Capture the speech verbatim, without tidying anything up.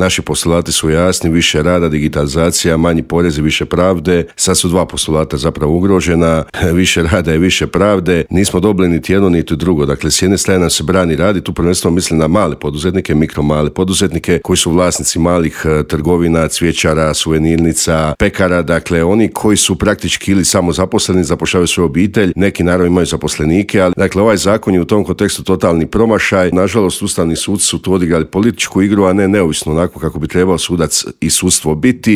naši postulati su jasni, više rada, digitalizacija, manji porezi, više pravde. Sad su dva postulata zapravo ugrožena, više rada i više pravde. Nismo dobili niti jedno niti drugo. Dakle, s jedne strane nam se brani radi, tu prvenstveno mislim na male poduzetnike, mikro male poduzetnike koji su vlasnici malih trgovina, cvjećara, suvenirnica, pekara, dakle oni koji su praktički ili samo zaposleni, zapošljavaju svoju obitelj, neki naravno imaju zaposlenike, ali dakle ovaj zakon je u tom kontekstu totalni promašaj. Nažalost, ustavni suci su tu odigrali političku igru, a ne neovisno onako kako bi trebao sudac i sudstvo biti.